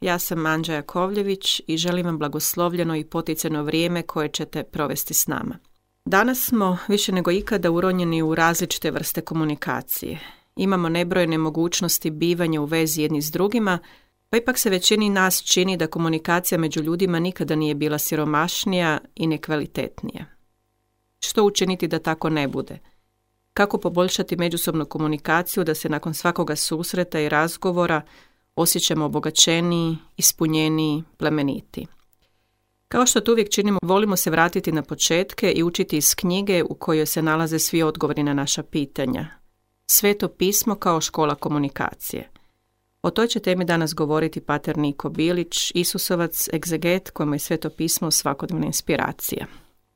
Ja sam Anđa Jakovljević i želim vam blagoslovljeno i poticajno vrijeme koje ćete provesti s nama. Danas smo više nego ikada uronjeni u različite vrste komunikacije. Imamo nebrojene mogućnosti bivanja u vezi jedni s drugima, pa ipak se većini nas čini da komunikacija među ljudima nikada nije bila siromašnija i nekvalitetnija. Što učiniti da tako ne bude? Kako poboljšati međusobnu komunikaciju da se nakon svakoga susreta i razgovora osjećamo obogaćeniji, ispunjeniji, plemeniti? Kao što to uvijek činimo, volimo se vratiti na početke i učiti iz knjige u kojoj se nalaze svi odgovori na naša pitanja. Sveto pismo kao škola komunikacije. O toj će temi danas govoriti pater Niko Bilić, Isusovac, egzeget kojemu je Sveto pismo svakodnevna inspiracija.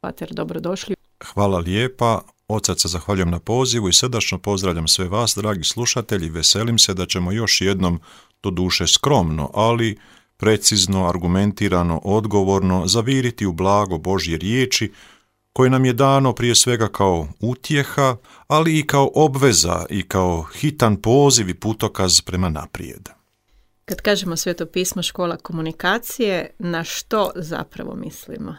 Pater, dobrodošli. Hvala lijepa. Od srca zahvaljujem na pozivu i srdačno pozdravljam sve vas, dragi slušatelji. Veselim se da ćemo još jednom, doduše skromno, ali precizno, argumentirano, odgovorno zaviriti u blago Božje riječi koje nam je dano prije svega kao utjeha, ali i kao obveza i kao hitan poziv i putokaz prema naprijed. Kad kažemo Sveto pismo škola komunikacije, na što zapravo mislimo?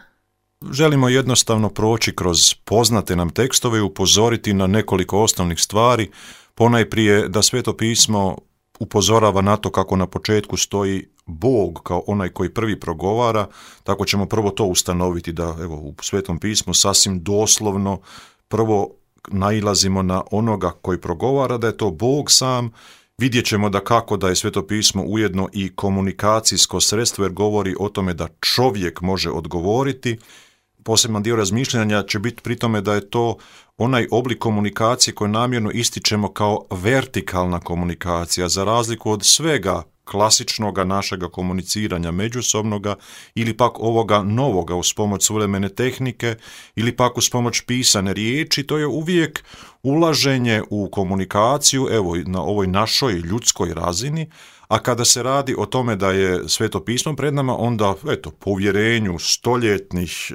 Želimo jednostavno proći kroz poznate nam tekstove i upozoriti na nekoliko osnovnih stvari. Ponajprije da Sveto pismo upozorava na to kako na početku stoji Bog kao onaj koji prvi progovara, tako ćemo prvo to ustanoviti da u Svetom pismu sasvim doslovno prvo nailazimo na onoga koji progovara, da je to Bog sam. Vidjet ćemo da je Sveto pismo ujedno i komunikacijsko sredstvo jer govori o tome da čovjek može odgovoriti. Poseban dio razmišljanja će biti pri tome da je to onaj oblik komunikacije koji namjerno ističemo kao vertikalna komunikacija, za razliku od svega klasičnoga našega komuniciranja međusobnoga ili pak ovoga novoga uz pomoć suvremene tehnike ili pak uz pomoć pisane riječi. To je uvijek ulaženje u komunikaciju, na ovoj našoj ljudskoj razini, a kada se radi o tome da je Sveto pismo pred nama, onda, po uvjerenju stoljetnih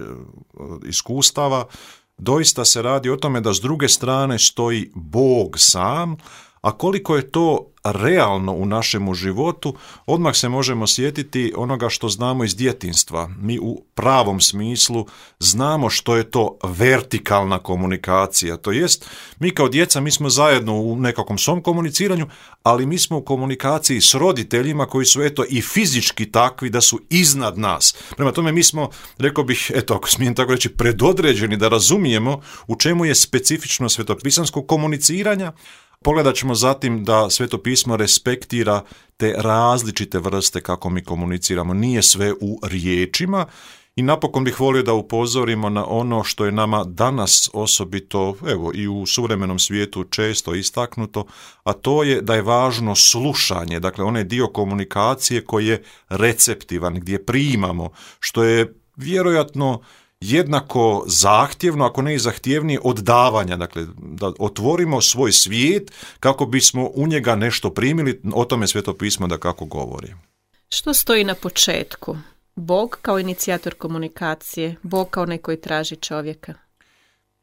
iskustava, doista se radi o tome da s druge strane stoji Bog sam, a koliko je to realno u našemu životu, odmah se možemo sjetiti onoga što znamo iz djetinjstva. Mi u pravom smislu znamo što je to vertikalna komunikacija. To jest, mi kao djeca, mi smo zajedno u nekakvom svom komuniciranju, ali mi smo u komunikaciji s roditeljima koji su i fizički takvi da su iznad nas. Prema tome mi smo, rekao bih, ako smijem tako reći, predodređeni da razumijemo u čemu je specifično svetopisanskog komuniciranja. Pogledat ćemo zatim da Sveto pismo respektira te različite vrste kako mi komuniciramo. Nije sve u riječima i napokon bih volio da upozorimo na ono što je nama danas osobito, i u suvremenom svijetu često istaknuto, a to je da je važno slušanje, dakle onaj dio komunikacije koji je receptivan, gdje primamo, što je vjerojatno jednako zahtjevno, ako ne i zahtjevnije od davanja, dakle da otvorimo svoj svijet kako bismo u njega nešto primili, o tome Sveto pismo da kako govori. Što stoji na početku? Bog kao inicijator komunikacije, Bog kao onaj koji traži čovjeka?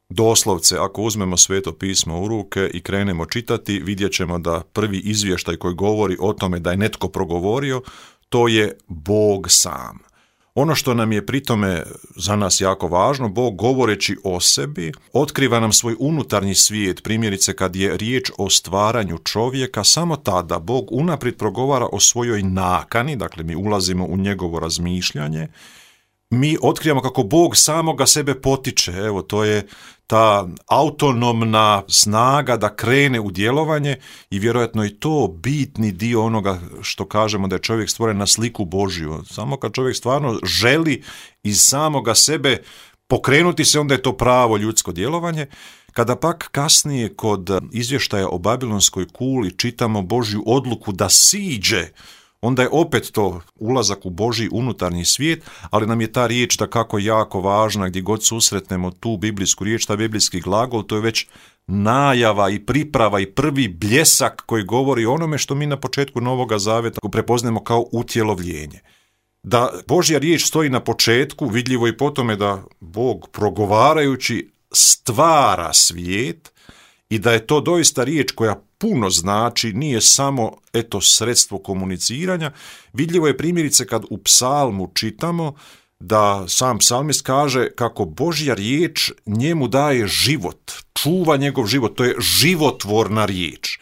Doslovce, ako uzmemo Sveto pismo u ruke i krenemo čitati, vidjet ćemo da prvi izvještaj koji govori o tome da je netko progovorio, to je Bog sam. Ono što nam je pri tome za nas jako važno, Bog govoreći o sebi, otkriva nam svoj unutarnji svijet. Primjerice, kad je riječ o stvaranju čovjeka, samo tada Bog unaprijed progovara o svojoj nakani, dakle mi ulazimo u njegovo razmišljanje, mi otkrivamo kako Bog samoga sebe potiče. To je ta autonomna snaga da krene u djelovanje i vjerojatno je to bitni dio onoga što kažemo da je čovjek stvoren na sliku Božju. Samo kad čovjek stvarno želi iz samoga sebe pokrenuti se, onda je to pravo ljudsko djelovanje. Kada pak kasnije kod izvještaja o Babilonskoj kuli čitamo Božju odluku da siđe, onda je opet to ulazak u Božji unutarnji svijet, ali nam je ta riječ dakako jako važna, gdje god susretnemo tu biblijsku riječ, ta biblijski glagol, to je već najava i priprava i prvi bljesak koji govori o onome što mi na početku Novoga Zaveta prepoznajemo kao utjelovljenje. Da Božja riječ stoji na početku, vidljivo i po tome da Bog progovarajući stvara svijet i da je to doista riječ koja puno znači, nije samo sredstvo komuniciranja. Vidljivo je primjerice kad u psalmu čitamo da sam psalmist kaže kako Božja riječ njemu daje život, čuva njegov život, to je životvorna riječ.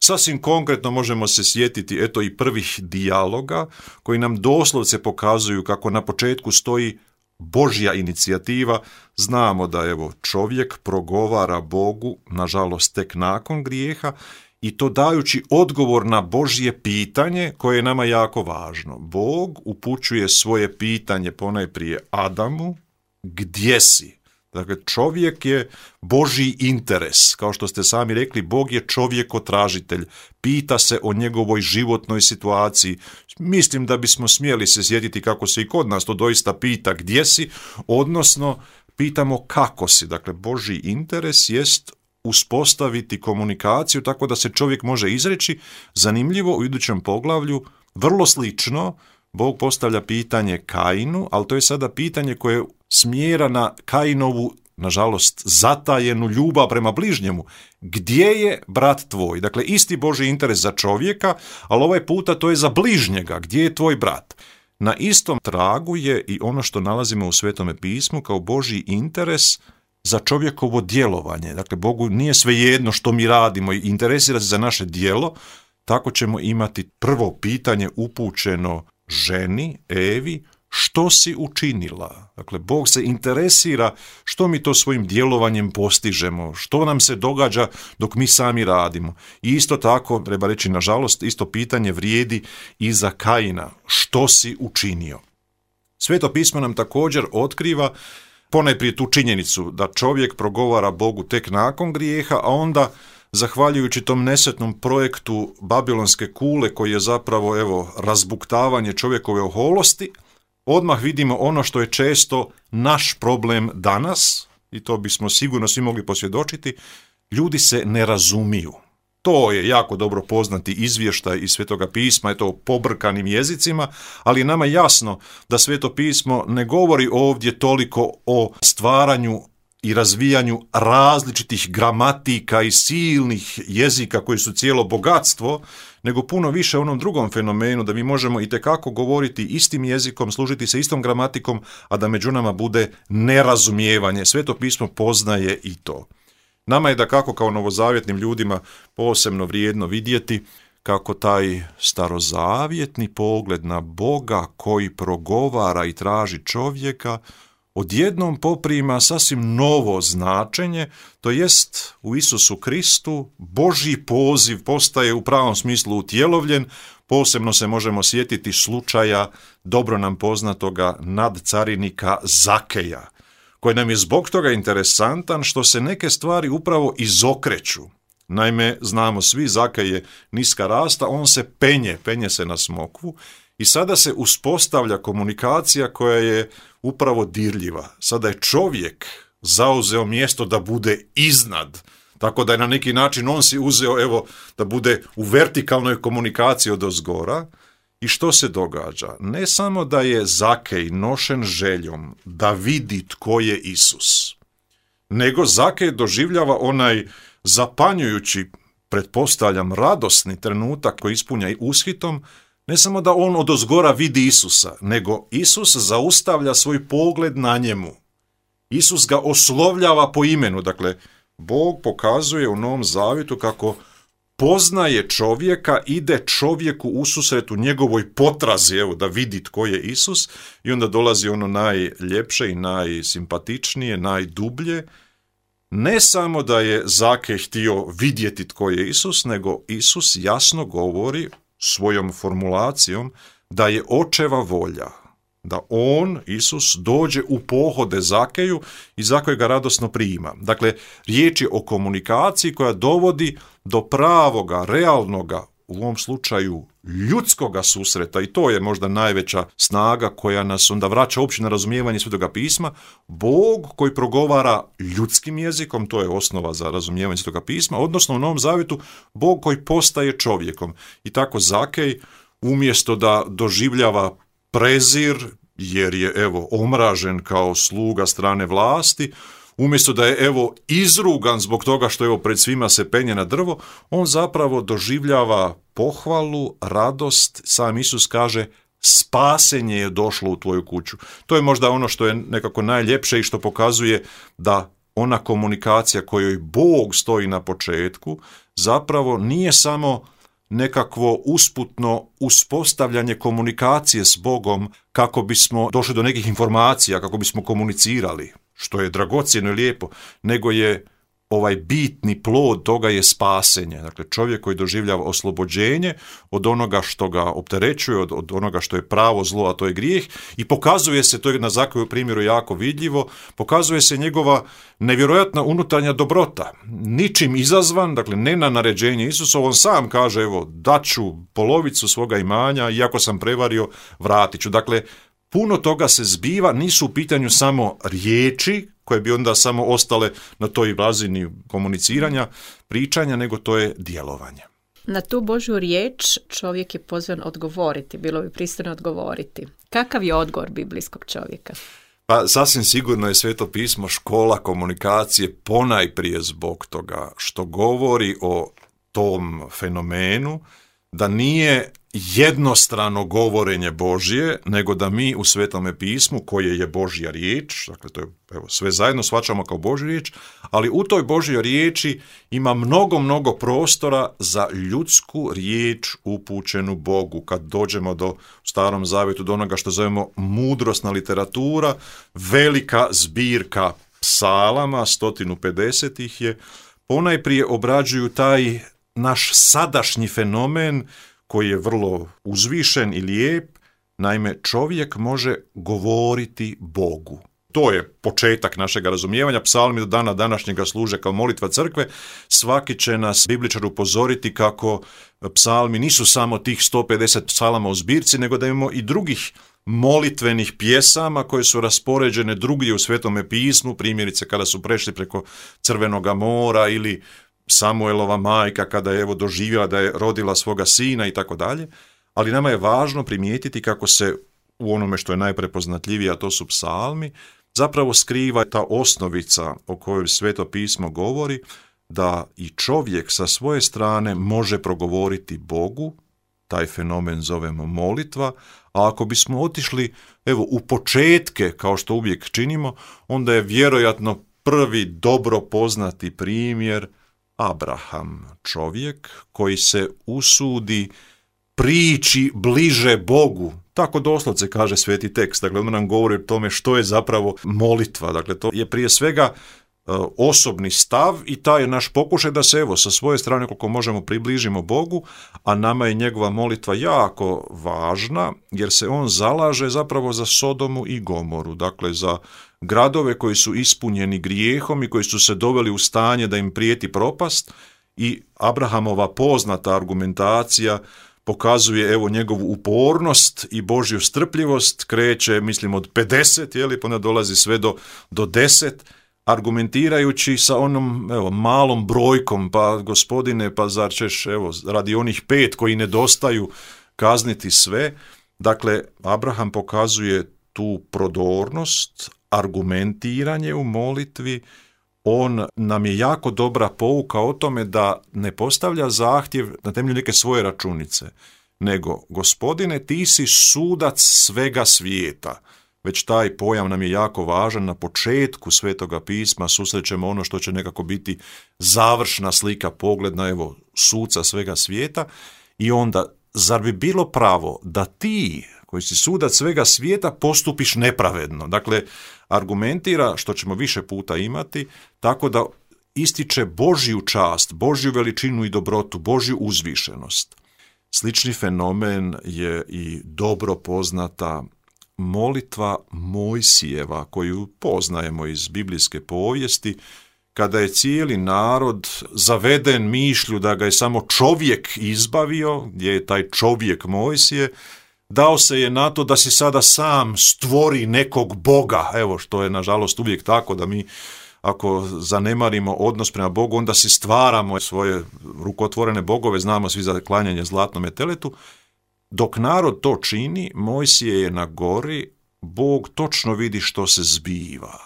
Sasvim konkretno možemo se sjetiti i prvih dijaloga koji nam doslovce pokazuju kako na početku stoji Božja inicijativa. Znamo da čovjek progovara Bogu, nažalost tek nakon grijeha, i to dajući odgovor na Božje pitanje koje je nama jako važno. Bog upućuje svoje pitanje ponajprije Adamu, gdje si? Dakle, čovjek je Božji interes. Kao što ste sami rekli, Bog je čovjekotražitelj. Pita se o njegovoj životnoj situaciji. Mislim da bismo smjeli se sjetiti kako se i kod nas to doista pita gdje si, odnosno pitamo kako si. Dakle, Božji interes jest uspostaviti komunikaciju tako da se čovjek može izreći. Zanimljivo, u idućem poglavlju, vrlo slično, Bog postavlja pitanje Kainu, ali to je sada pitanje koje smjera na Kainovu, nažalost, zatajenu ljubav prema bližnjemu. Gdje je brat tvoj? Dakle, isti Božji interes za čovjeka, ali ovaj puta to je za bližnjega. Gdje je tvoj brat? Na istom tragu je i ono što nalazimo u Svetome pismu kao Božji interes za čovjekovo djelovanje. Dakle, Bogu nije svejedno što mi radimo i interesira se za naše djelo. Tako ćemo imati prvo pitanje upućeno ženi, Evi, što si učinila? Dakle, Bog se interesira što mi to svojim djelovanjem postižemo, što nam se događa dok mi sami radimo. I isto tako, treba reći nažalost, isto pitanje vrijedi i za Kaina, što si učinio? Sveto pismo nam također otkriva ponajprije tu činjenicu da čovjek progovara Bogu tek nakon grijeha, a onda zahvaljujući tom nesretnom projektu Babilonske kule koji je zapravo razbuktavanje čovjekove oholosti, odmah vidimo ono što je često naš problem danas, i to bismo sigurno svi mogli posvjedočiti, ljudi se ne razumiju. To je jako dobro poznati izvještaj iz Svetoga pisma, o pobrkanim jezicima, ali je nama jasno da Sveto pismo ne govori ovdje toliko o stvaranju i razvijanju različitih gramatika i silnih jezika koji su cijelo bogatstvo, nego puno više o onom drugom fenomenu da mi možemo itekako govoriti istim jezikom, služiti se istom gramatikom, a da među nama bude nerazumijevanje. Sveto pismo poznaje i to. Nama je dakako kao novozavjetnim ljudima posebno vrijedno vidjeti kako taj starozavjetni pogled na Boga koji progovara i traži čovjeka odjednom poprima sasvim novo značenje, to jest u Isusu Kristu Božji poziv postaje u pravom smislu utjelovljen. Posebno se možemo sjetiti slučaja dobro nam poznatoga nadcarinika Zakeja, koji nam je zbog toga interesantan što se neke stvari upravo izokreću. Naime, znamo svi, Zakej je niska rasta, on se penje se na smokvu i sada se uspostavlja komunikacija koja je upravo dirljiva. Sada je čovjek zauzeo mjesto da bude iznad, tako da je na neki način on si uzeo da bude u vertikalnoj komunikaciji odozgora. I što se događa? Ne samo da je Zakej nošen željom da vidi tko je Isus, nego Zakej doživljava onaj zapanjujući, pretpostavljam, radosni trenutak koji ispunja ushitom, ne samo da on odozgora vidi Isusa, nego Isus zaustavlja svoj pogled na njemu. Isus ga oslovljava po imenu. Dakle, Bog pokazuje u Novom Zavjetu kako poznaje čovjeka, ide čovjeku ususret u njegovoj potrazi, da vidi tko je Isus, i onda dolazi ono najljepše i najsimpatičnije, najdublje. Ne samo da je Zakej htio vidjeti tko je Isus, nego Isus jasno govori svojom formulacijom da je očeva volja, da on, Isus, dođe u pohode Zakeju i Zakej ga radosno prima. Dakle, riječ je o komunikaciji koja dovodi do pravoga, realnoga, u ovom slučaju ljudskoga susreta, i to je možda najveća snaga koja nas onda vraća uopće na razumijevanje Svetoga pisma. Bog koji progovara ljudskim jezikom, to je osnova za razumijevanje Svetoga pisma, odnosno u Novom Zavjetu Bog koji postaje čovjekom. I tako Zakej, umjesto da doživljava prezir, jer je omražen kao sluga strane vlasti, umjesto da je izrugan zbog toga što pred svima se penje na drvo, on zapravo doživljava pohvalu, radost. Sam Isus kaže, spasenje je došlo u tvoju kuću. To je možda ono što je nekako najljepše i što pokazuje da ona komunikacija kojoj Bog stoji na početku zapravo nije samo nekakvo usputno uspostavljanje komunikacije s Bogom kako bismo došli do nekih informacija, kako bismo komunicirali, što je dragocjeno i lijepo, nego je bitni plod toga je spasenje. Dakle, čovjek koji doživljava oslobođenje od onoga što ga opterećuje, od onoga što je pravo zlo, a to je grijeh, i pokazuje se, to je na Zakovu primjeru jako vidljivo, pokazuje se njegova nevjerojatna unutarnja dobrota, ničim izazvan, dakle ne na naređenje Isusa, on sam kaže, daću polovicu svoga imanja, iako sam prevario, vratit ću. Dakle, puno toga se zbiva, nisu u pitanju samo riječi, koje bi onda samo ostale na toj razini komuniciranja, pričanja, nego to je djelovanje. Na tu Božju riječ čovjek je pozvan odgovoriti, bilo bi pristojno odgovoriti. Kakav je odgovor biblijskog čovjeka? Pa sasvim sigurno je Sveto pismo škola komunikacije ponajprije zbog toga što govori o tom fenomenu da nije jednostrano govorenje Božje, nego da mi u Svetome pismu, koje je Božja riječ, dakle to je sve zajedno shvaćamo kao Božju riječ, ali u toj Božjoj riječi ima mnogo prostora za ljudsku riječ upućenu Bogu. Kad dođemo u Starom Zavjetu do onoga što zovemo mudrosna literatura, velika zbirka psalama, 150 ih je, ponajprije obrađuju taj naš sadašnji fenomen koji je vrlo uzvišen i lijep. Naime, čovjek može govoriti Bogu. To je početak našeg razumijevanja. Psalmi do dana današnjega služe kao molitva crkve. Svaki će nas bibličar upozoriti kako psalmi nisu samo tih 150 psalama u zbirci, nego da imamo i drugih molitvenih pjesama koje su raspoređene drugdje u Svetome pismu, primjerice kada su prešli preko Crvenoga mora ili Samuelova majka kada je doživjela da je rodila svoga sina i tako dalje, ali nama je važno primijetiti kako se u onome što je najprepoznatljivije, a to su psalmi, zapravo skriva ta osnovica o kojoj Sveto pismo govori, da i čovjek sa svoje strane može progovoriti Bogu, taj fenomen zovemo molitva, a ako bismo otišli u početke, kao što uvijek činimo, onda je vjerojatno prvi dobro poznati primjer Abraham, čovjek koji se usudi prići bliže Bogu. Tako doslovce kaže sveti tekst. Dakle, on nam govori o tome što je zapravo molitva. Dakle, to je prije svega osobni stav i taj je naš pokušaj da se sa svoje strane koliko možemo približimo Bogu, a nama je njegova molitva jako važna jer se on zalaže zapravo za Sodomu i Gomoru, dakle za gradove koji su ispunjeni grijehom i koji su se doveli u stanje da im prijeti propast, i Abrahamova poznata argumentacija pokazuje njegovu upornost i Božju strpljivost, kreće mislim od 50, pa onda dolazi sve do 10, argumentirajući sa onom malom brojkom, pa gospodine, pa zar ćeš radi onih 5 koji nedostaju kazniti sve. Dakle, Abraham pokazuje tu prodornost, argumentiranje u molitvi. On nam je jako dobra pouka o tome da ne postavlja zahtjev na temelju neke svoje računice, nego gospodine, ti si sudac svega svijeta. Već taj pojam nam je jako važan. Na početku Svetoga pisma susrećemo ono što će nekako biti završna slika, pogled na suca svega svijeta, i onda zar bi bilo pravo da ti koji si sudac svega svijeta postupiš nepravedno? Dakle, argumentira, što ćemo više puta imati, tako da ističe Božju čast, Božju veličinu i dobrotu, Božju uzvišenost. Slični fenomen je i dobro poznata molitva Mojsijeva, koju poznajemo iz biblijske povijesti, kada je cijeli narod zaveden mišlju da ga je samo čovjek izbavio, gdje je taj čovjek Mojsije, dao se je na to da si sada sam stvori nekog Boga, što je nažalost uvijek tako, da mi ako zanemarimo odnos prema Bogu, onda si stvaramo svoje rukotvorene bogove, znamo svi za klanjanje zlatnome teletu. Dok narod to čini, Mojsije je na gori, Bog točno vidi što se zbiva.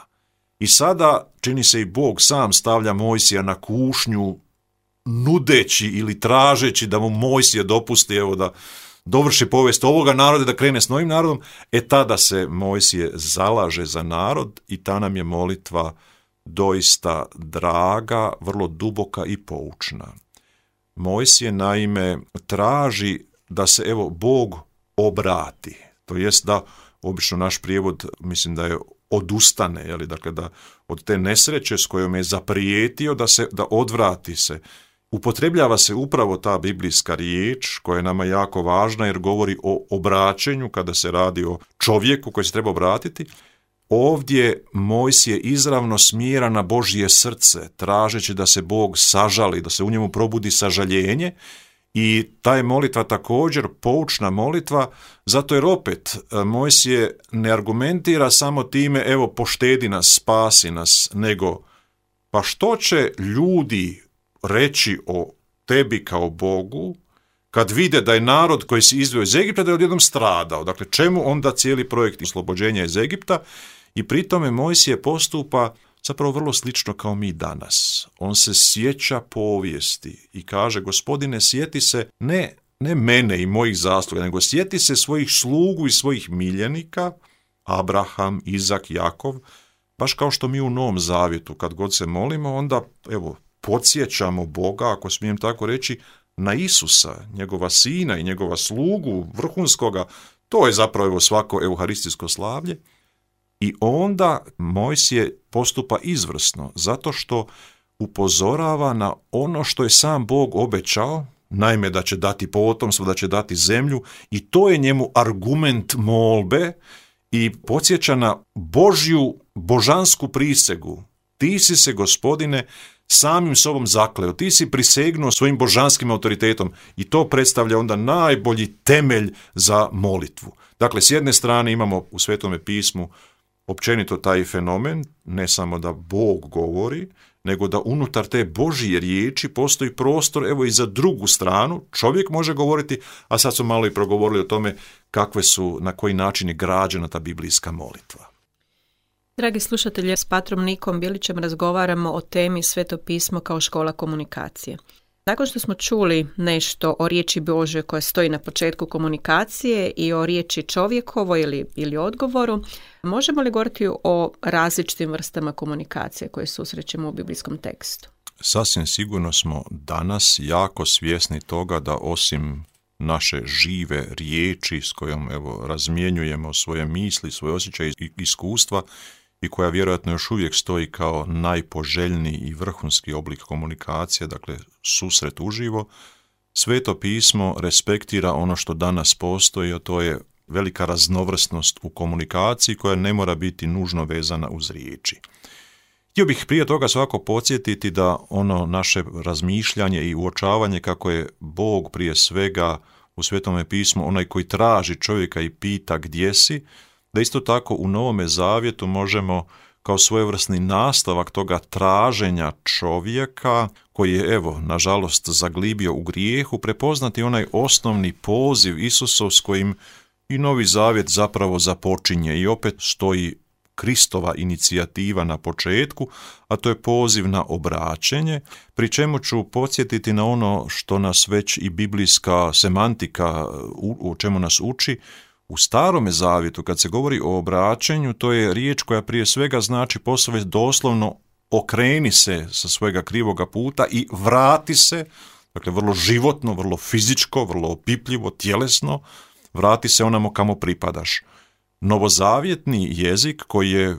I sada, čini se, i Bog sam stavlja Mojsija na kušnju, nudeći ili tražeći da mu Mojsije dopusti, evo, da dovrši povijest ovoga naroda, da krene s novim narodom. Tada se Mojsije zalaže za narod i ta nam je molitva doista draga, vrlo duboka i poučna. Mojsije naime traži da se, evo, Bog obrati. To jest da, obično naš prijevod, mislim da je odustane, jeli, dakle da od te nesreće s kojom je zaprijetio da odvrati se. Upotrebljava se upravo ta biblijska riječ koja je nama jako važna jer govori o obraćenju kada se radi o čovjeku koji se treba obratiti. Ovdje Mojsije izravno smjera na Božje srce, tražeći da se Bog sažali, da se u njemu probudi sažaljenje. I ta je molitva također poučna molitva, zato jer opet Mojsije ne argumentira samo time, evo, poštedi nas, spasi nas, nego pa što će ljudi reći o tebi kao Bogu kad vide da je narod koji si izveo iz Egipta da je odjednom stradao. Dakle, čemu onda cijeli projekt oslobođenja iz Egipta? I pri tome Mojsije postupa zapravo vrlo slično kao mi danas. On se sjeća povijesti i kaže, Gospodine, sjeti se ne mene i mojih zasluga, nego sjeti se svojih slugu i svojih miljenika, Abraham, Izak, Jakov, baš kao što mi u Novom Zavjetu, kad god se molimo, onda, evo, podsjećamo Boga, ako smijem tako reći, na Isusa, njegova sina i njegova slugu, vrhunskoga. To je zapravo, evo, svako euharistijsko slavlje. I onda Mojsije postupa izvrsno, zato što upozorava na ono što je sam Bog obećao, naime da će dati potomstvo, da će dati zemlju, i to je njemu argument molbe i podsjeća na Božju božansku prisegu. Ti si se, Gospodine, samim sobom zakleo, ti si prisegnuo svojim božanskim autoritetom i to predstavlja onda najbolji temelj za molitvu. Dakle, s jedne strane imamo u Svetome pismu općenito taj fenomen, ne samo da Bog govori, nego da unutar te Božje riječi postoji prostor, evo, i za drugu stranu. Čovjek može govoriti, a sad smo malo i progovorili o tome na koji način je građena ta biblijska molitva. Dragi slušatelji, s patrom Nikom Bilićem razgovaramo o temi Sveto pismo kao škola komunikacije. Nakon što smo čuli nešto o riječi Božoj koja stoji na početku komunikacije i o riječi čovjekovoj ili odgovoru, možemo li govoriti o različitim vrstama komunikacije koje susrećemo u biblijskom tekstu? Sasvim sigurno smo danas jako svjesni toga da osim naše žive riječi s kojom, evo, razmjenjujemo svoje misli, svoje osjećaje i iskustva, i koja vjerojatno još uvijek stoji kao najpoželjniji i vrhunski oblik komunikacije, dakle susret uživo, Sveto pismo respektira ono što danas postoji, a to je velika raznovrsnost u komunikaciji koja ne mora biti nužno vezana uz riječi. Htio bih prije toga svako podsjetiti da ono naše razmišljanje i uočavanje kako je Bog prije svega u Svetome pismu onaj koji traži čovjeka i pita gdje si, da isto tako u Novome Zavjetu možemo kao svojevrsni nastavak toga traženja čovjeka koji je, evo, nažalost zaglibio u grijehu, prepoznati onaj osnovni poziv Isusov s kojim i Novi Zavjet zapravo započinje i opet stoji Kristova inicijativa na početku, a to je poziv na obraćenje, pri čemu ću podsjetiti na ono što nas već i biblijska semantika u čemu nas uči. U Starome Zavjetu, kad se govori o obraćanju, to je riječ koja prije svega znači posve doslovno okreni se sa svojega krivoga puta i vrati se, dakle vrlo životno, vrlo fizičko, vrlo opipljivo, tjelesno, vrati se onamo kamo pripadaš. Novozavjetni jezik koji je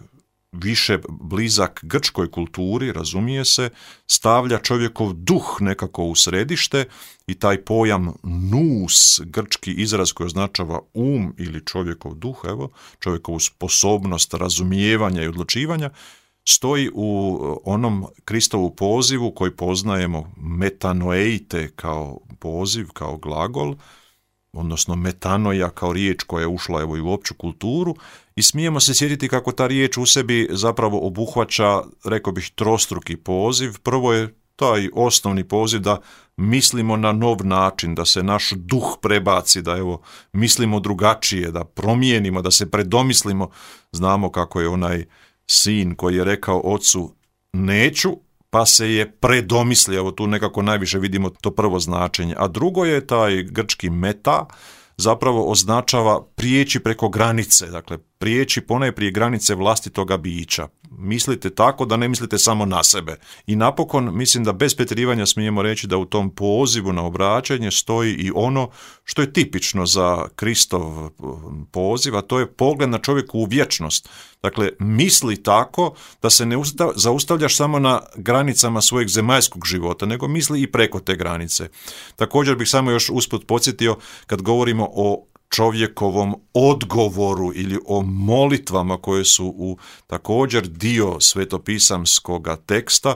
više blizak grčkoj kulturi, razumije se, stavlja čovjekov duh nekako u središte i taj pojam nous, grčki izraz koji označava ili čovjekov duh, evo, čovjekovu sposobnost razumijevanja i odlučivanja, stoji u onom Kristovu pozivu koji poznajemo metanoeite kao poziv, kao glagol, odnosno metanoja kao riječ koja je ušla, evo, i u opću kulturu, i smijemo se sjetiti kako ta riječ u sebi zapravo obuhvaća, rekao bih, trostruki poziv. Prvo je taj osnovni poziv da mislimo na nov način, da se naš duh prebaci, da, evo, mislimo drugačije, da promijenimo, da se predomislimo. Znamo kako je onaj sin koji je rekao ocu neću, pa se je predomislio, evo tu nekako najviše vidimo to prvo značenje. A drugo je taj grčki meta, zapravo označava prijeći preko granice, dakle prijeći ponajprije granice vlastitoga bića. Mislite tako da ne mislite samo na sebe. I napokon, mislim da bez pretjerivanja smijemo reći da u tom pozivu na obraćanje stoji i ono što je tipično za Kristov poziv, a to je pogled na čovjeku u vječnost. Dakle, misli tako da se ne zaustavljaš samo na granicama svojeg zemaljskog života, nego misli i preko te granice. Također bih samo još usput podsjetio, kad govorimo o čovjekovom odgovoru ili o molitvama koje su u također dio svetopisamskoga teksta,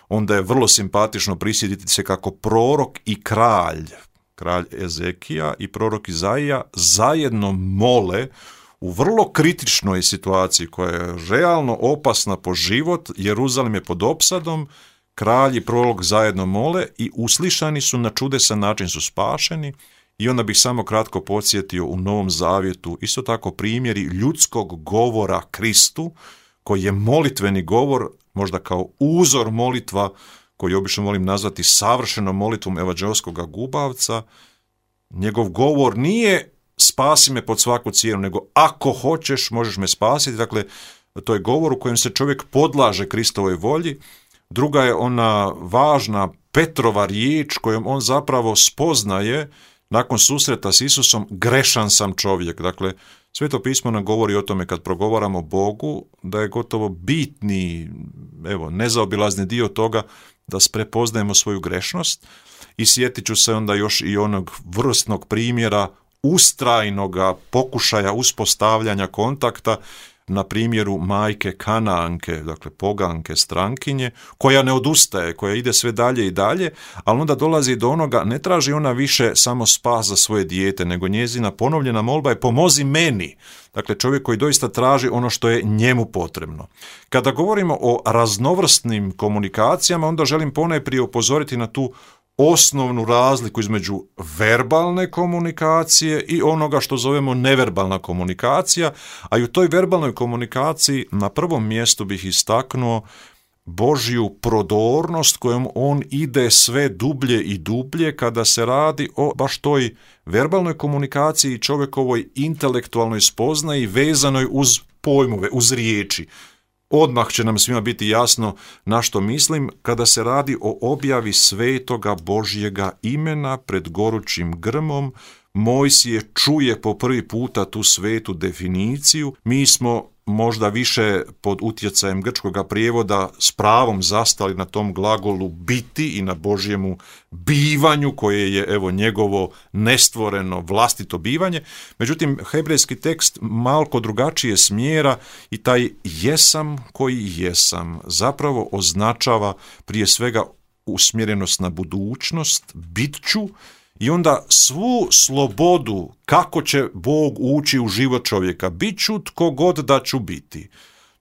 onda je vrlo simpatično prisjetiti se kako prorok i kralj Ezekija i prorok Izaija zajedno mole u vrlo kritičnoj situaciji koja je realno opasna po život. Jeruzalem je pod opsadom, kralj i prorok zajedno mole i uslišani su, na čudesan način su spašeni. I onda bih samo kratko podsjetio u Novom Zavjetu isto tako primjeri ljudskog govora Kristu, koji je molitveni govor, možda kao uzor molitva, koji obično volim nazvati savršenom molitvom evanđelskoga gubavca. Njegov govor nije spasi me pod svaku cijenu, nego ako hoćeš možeš me spasiti. Dakle, to je govor u kojem se čovjek podlaže Kristovoj volji. Druga je ona važna Petrova riječ kojom on zapravo spoznaje nakon susreta s Isusom, grešan sam čovjek. Dakle, Sveto pismo nam govori o tome kad progovaramo Bogu, da je gotovo bitni, nezaobilazni dio toga da prepoznajemo svoju grešnost. I sjetit ću se onda još i onog vrstnog primjera ustrajnoga pokušaja uspostavljanja kontakta na primjeru majke Kanaanke, dakle poganke, strankinje, koja ne odustaje, koja ide sve dalje i dalje, ali onda dolazi do onoga, ne traži ona više samo spas za svoje dijete, nego njezina ponovljena molba je pomozi meni. Dakle, čovjek koji doista traži ono što je njemu potrebno. Kada govorimo o raznovrsnim komunikacijama, onda želim ponajprije upozoriti na tu osnovnu razliku između verbalne komunikacije i onoga što zovemo neverbalna komunikacija, a i u toj verbalnoj komunikaciji na prvom mjestu bih istaknuo Božju prodornost kojom on ide sve dublje i dublje kada se radi o baš toj verbalnoj komunikaciji i čovjekovoj intelektualnoj spoznaji vezanoj uz pojmove, uz riječi. Odmah će nam svima biti jasno na što mislim kada se radi o objavi svetoga Božjega imena pred gorućim grmom. Mojsije čuje po prvi puta tu svetu definiciju. Mi smo možda više pod utjecajem grčkoga prijevoda s pravom zastali na tom glagolu biti i na Božjemu bivanju koje je njegovo nestvoreno vlastito bivanje. Međutim, hebrejski tekst malko drugačije smjera i taj jesam koji jesam zapravo označava prije svega usmjerenost na budućnost, bit ću, i onda svu slobodu kako će Bog ući u život čovjeka. Bit ću tko god da ću biti.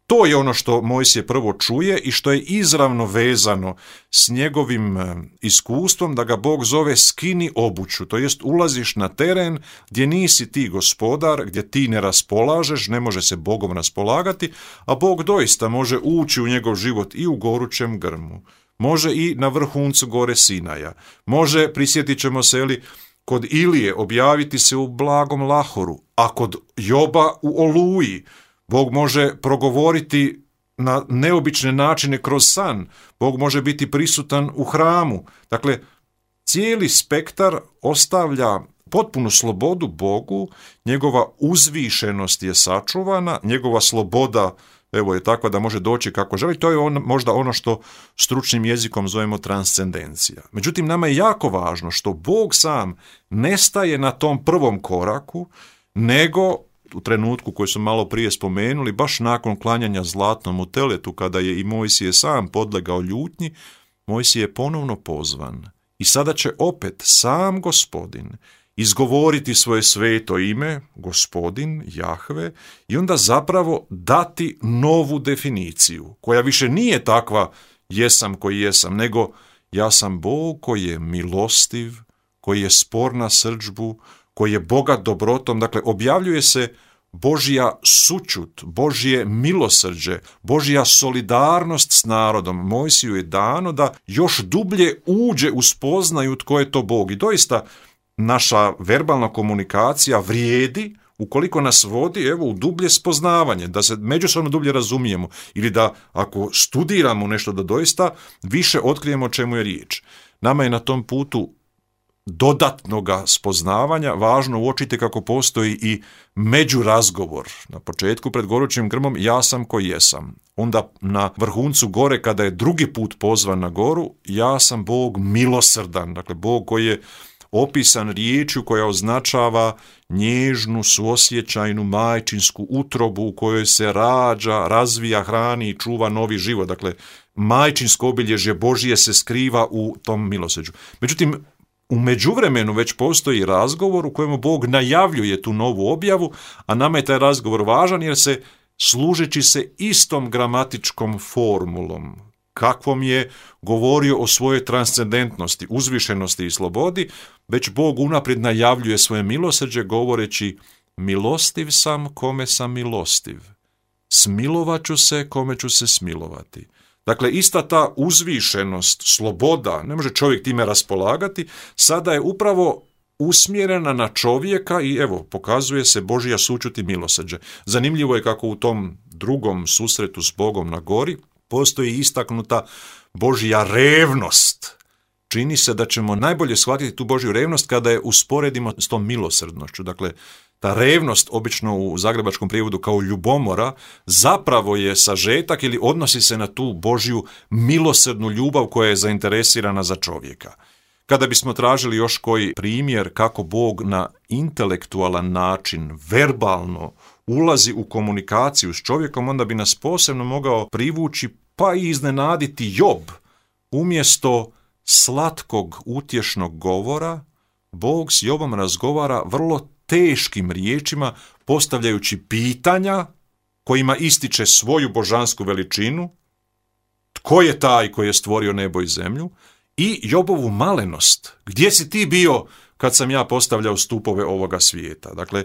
To je ono što Mojsije prvo čuje i što je izravno vezano s njegovim iskustvom da ga Bog zove skini obuću, to jest ulaziš na teren gdje nisi ti gospodar, gdje ti ne raspolažeš, ne može se Bogom raspolagati, a Bog doista može ući u njegov život i u gorućem grmu. Može i na vrhuncu gore Sinaja. Može, prisjetit ćemo se, kod Ilije objaviti se u blagom lahoru, a kod Joba u oluji. Bog može progovoriti na neobične načine kroz san. Bog može biti prisutan u hramu. Dakle, cijeli spektar ostavlja potpunu slobodu Bogu, njegova uzvišenost je sačuvana, njegova sloboda je takva da može doći kako želi. To je možda ono što stručnim jezikom zovemo transcendencija. Međutim, nama je jako važno što Bog sam ne staje na tom prvom koraku, nego u trenutku koji su malo prije spomenuli, baš nakon klanjanja zlatnom u teletu, kada je i Mojsije sam podlegao ljutnji, Mojsije je ponovno pozvan. I sada će opet sam Gospodin izgovoriti svoje sveto ime, Gospodin, Jahve, i onda zapravo dati novu definiciju, koja više nije takva jesam koji jesam, nego ja sam Bog koji je milostiv, koji je spor na srdžbu, koji je bogat dobrotom. Dakle, objavljuje se Božja sućut, Božje milosrđe, Božja solidarnost s narodom. Mojsiju je dano da još dublje uđe u spoznaju tko je to Bog. I doista naša verbalna komunikacija vrijedi ukoliko nas vodi u dublje spoznavanje, da se međusobno dublje razumijemo ili da ako studiramo nešto da doista više otkrijemo o čemu je riječ. Nama je na tom putu dodatnoga spoznavanja važno uočiti kako postoji i međurazgovor. Na početku pred gorućim grmom ja sam koji jesam. Onda na vrhuncu gore kada je drugi put pozvan na goru, ja sam Bog milosrdan, dakle Bog koji je opisan riječju koja označava nježnu, suosjećajnu, majčinsku utrobu u kojoj se rađa, razvija, hrani i čuva novi život. Dakle, majčinsko obilježje Božije se skriva u tom milosrđu. Međutim, u međuvremenu već postoji razgovor u kojemu Bog najavljuje tu novu objavu, a nama je taj razgovor važan jer se, služeći se istom gramatičkom formulom, kakvom je govorio o svojoj transcendentnosti, uzvišenosti i slobodi, već Bog unaprijed najavljuje svoje milosrđe govoreći: milostiv sam kome sam milostiv, smilovat ću se kome ću se smilovati. Dakle, ista ta uzvišenost, sloboda, ne može čovjek time raspolagati, sada je upravo usmjerena na čovjeka i pokazuje se Božja sućut i milosrđe. Zanimljivo je kako u tom drugom susretu s Bogom na gori postoji istaknuta Božja revnost. Čini se da ćemo najbolje shvatiti tu Božju revnost kada je usporedimo s tom milosrdnošću. Dakle, ta revnost, obično u zagrebačkom prijevodu kao ljubomora, zapravo je sažetak ili odnosi se na tu Božju milosrdnu ljubav koja je zainteresirana za čovjeka. Kada bismo tražili još koji primjer kako Bog na intelektualan način, verbalno, ulazi u komunikaciju s čovjekom, onda bi nas posebno mogao privući pa i iznenaditi Job. Umjesto slatkog utješnog govora, Bog s Jobom razgovara vrlo teškim riječima, postavljajući pitanja kojima ističe svoju božansku veličinu, tko je taj koji je stvorio nebo i zemlju, i Jobovu malenost. Gdje si ti bio kad sam ja postavljao stupove ovoga svijeta? Dakle,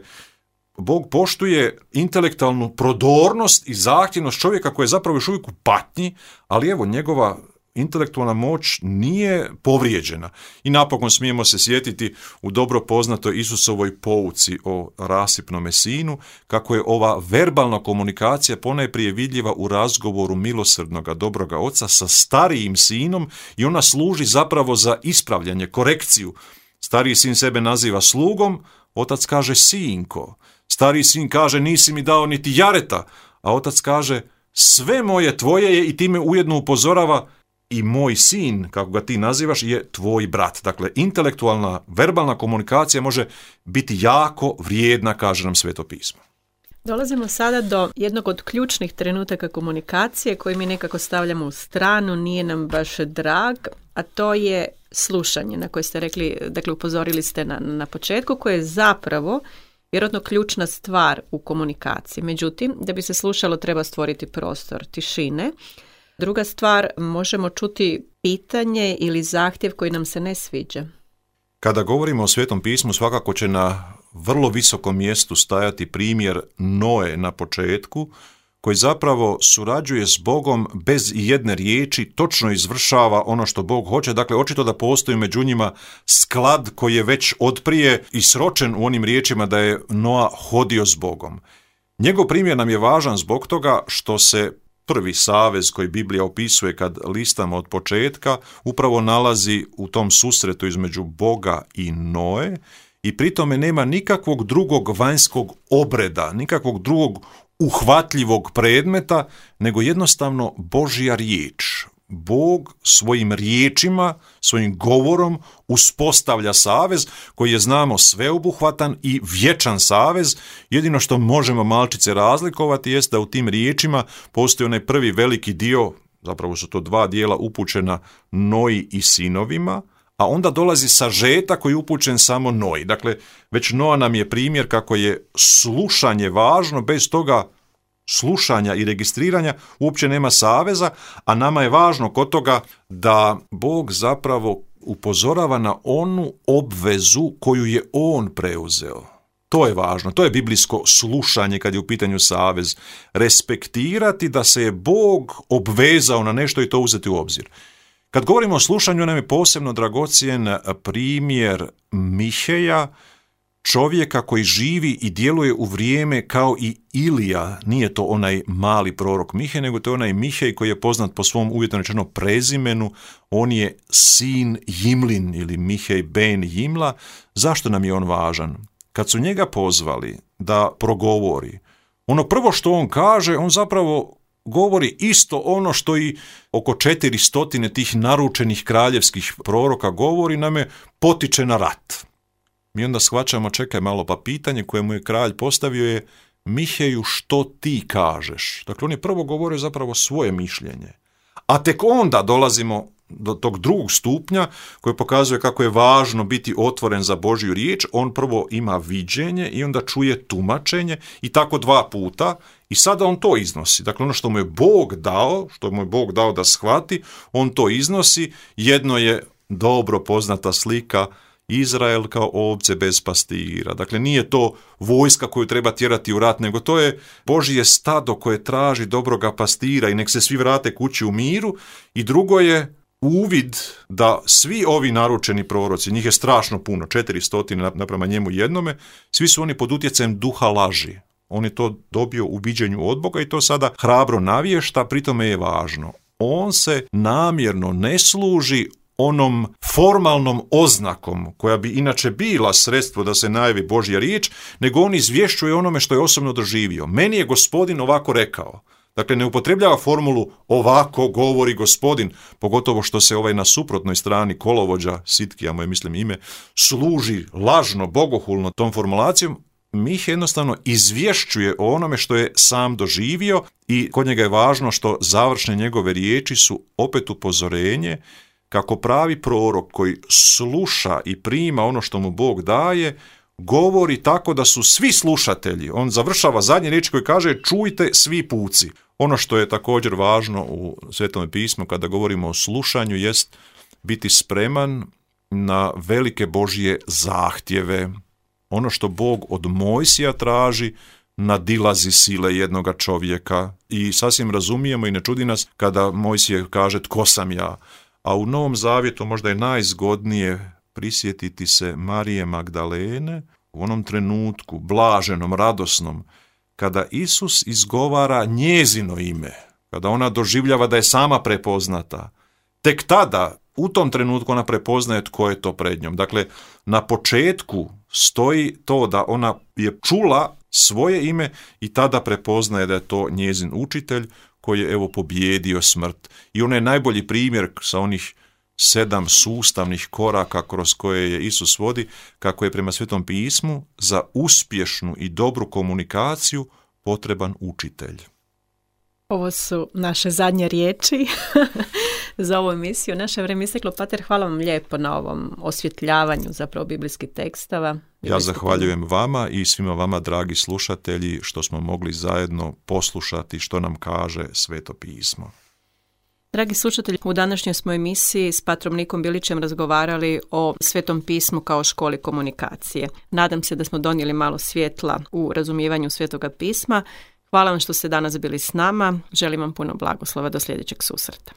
Bog poštuje intelektualnu prodornost i zahtjevnost čovjeka koji je zapravo još uvijek u patnji, ali njegova intelektualna moć nije povrijeđena. I napokon smijemo se sjetiti u dobro poznatoj Isusovoj pouci o rasipnome sinu, kako je ova verbalna komunikacija ponajprije vidljiva u razgovoru milosrdnoga dobroga oca sa starijim sinom i ona služi zapravo za ispravljanje, korekciju. Stariji sin sebe naziva slugom, otac kaže sinko. Stariji sin kaže nisi mi dao niti jareta, a otac kaže sve moje tvoje je i time ujedno upozorava i moj sin, kako ga ti nazivaš, je tvoj brat. Dakle, intelektualna, verbalna komunikacija može biti jako vrijedna, kaže nam Sveto pismo. Dolazimo sada do jednog od ključnih trenutaka komunikacije koji mi nekako stavljamo u stranu, nije nam baš drag, a to je slušanje na koje ste rekli, dakle upozorili ste na početku, koje je zapravo vjerojatno ključna stvar u komunikaciji. Međutim, da bi se slušalo treba stvoriti prostor tišine. Druga stvar, možemo čuti pitanje ili zahtjev koji nam se ne sviđa. Kada govorimo o Svetom pismu, svakako će na vrlo visokom mjestu stajati primjer Noe na početku, koji zapravo surađuje s Bogom bez jedne riječi, točno izvršava ono što Bog hoće. Dakle, očito da postoji među njima sklad koji je već otprije i sročen u onim riječima da je Noa hodio s Bogom. Njegov primjer nam je važan zbog toga što se prvi savez koji Biblija opisuje kad listamo od početka upravo nalazi u tom susretu između Boga i Noe i pri tome nema nikakvog drugog vanjskog obreda, nikakvog drugog uhvatljivog predmeta, nego jednostavno Božja riječ. Bog svojim riječima, svojim govorom uspostavlja savez koji je, znamo, sveobuhvatan i vječan savez. Jedino što možemo malčice razlikovati jest da u tim riječima postoji onaj prvi veliki dio, zapravo su to dva dijela upućena Noji i sinovima, a onda dolazi sažetak koji je upućen samo Noji. Dakle, već Noa nam je primjer kako je slušanje važno, bez toga slušanja i registriranja uopće nema saveza, a nama je važno kod toga da Bog zapravo upozorava na onu obvezu koju je on preuzeo. To je važno, to je biblijsko slušanje kad je u pitanju savez. Respektirati da se je Bog obvezao na nešto i to uzeti u obzir. Kad govorimo o slušanju, nam je posebno dragocjen primjer Miheja, čovjeka koji živi i djeluje u vrijeme kao i Ilija. Nije to onaj mali prorok Mihej, nego to je onaj Mihej koji je poznat po svom uvjetno rečeno prezimenu. On je sin Jimlin ili Mihej ben Jimla. Zašto nam je on važan? Kad su njega pozvali da progovori, ono prvo što on kaže, on zapravo govori isto ono što i oko 400 tih naručenih kraljevskih proroka govori, nam potiče na rat. Mi onda shvaćamo, čekaj malo, pa pitanje koje mu je kralj postavio je: Miheju, što ti kažeš? Dakle, on je prvo govorio zapravo svoje mišljenje. A tek onda dolazimo do tog drugog stupnja koji pokazuje kako je važno biti otvoren za Božju riječ. On prvo ima viđenje i onda čuje tumačenje i tako 2 puta i sada on to iznosi. Dakle, ono što mu je Bog dao da shvati, on to iznosi. Jedno je dobro poznata slika Izrael kao ovce bez pastira. Dakle, nije to vojska koju treba tjerati u rat, nego to je Božje stado koje traži dobroga pastira i nek se svi vrate kući u miru. I drugo je uvid da svi ovi naručeni proroci, njih je strašno puno, 400 naprema njemu jednome, svi su oni pod utjecajem duha laži. On je to dobio u viđenju od Boga i to sada hrabro navješta, pritome je važno. On se namjerno ne služi onom formalnom oznakom koja bi inače bila sredstvo da se najavi Božja riječ, nego on izvješćuje onome što je osobno doživio. Meni je Gospodin ovako rekao. Dakle, ne upotrebljava formulu ovako govori Gospodin, pogotovo što se na suprotnoj strani kolovođa, Sitkija mu je mislim ime, služi lažno, bogohulno tom formulacijom. Mih jednostavno izvješćuje o onome što je sam doživio i kod njega je važno što završne njegove riječi su opet upozorenje kako pravi prorok koji sluša i prima ono što mu Bog daje, govori tako da su svi slušatelji. On završava zadnje riječi koje kaže: čujte svi puci. Ono što je također važno u Svetom pismu kada govorimo o slušanju jest biti spreman na velike Božje zahtjeve. Ono što Bog od Mojsija traži nadilazi sile jednoga čovjeka i sasvim razumijemo i ne čudi nas kada Mojsije kaže tko sam ja. A u Novom Zavjetu možda je najzgodnije prisjetiti se Marije Magdalene u onom trenutku, blaženom, radosnom, kada Isus izgovara njezino ime, kada ona doživljava da je sama prepoznata. Tek tada, u tom trenutku, ona prepoznaje tko je to pred njom. Dakle, na početku stoji to da ona je čula svoje ime i tada prepoznaje da je to njezin učitelj koji je pobjedio smrt. I on je najbolji primjer sa onih 7 sustavnih koraka kroz koje je Isus vodi, kako je prema Svetom pismu za uspješnu i dobru komunikaciju potreban učitelj. Ovo su naše zadnje riječi za ovu emisiju. Naše vrijeme isteklo. Pater, hvala vam lijepo na ovom osvjetljavanju zapravo biblijskih tekstova. Ja zahvaljujem vama i svima vama, dragi slušatelji, što smo mogli zajedno poslušati što nam kaže Sveto pismo. Dragi slušatelji, u današnjoj smo emisiji s patrom Nikom Bilićem razgovarali o Svetom pismu kao školi komunikacije. Nadam se da smo donijeli malo svjetla u razumijevanju Svetoga pisma. Hvala vam što ste danas bili s nama. Želim vam puno blagoslova do sljedećeg susreta.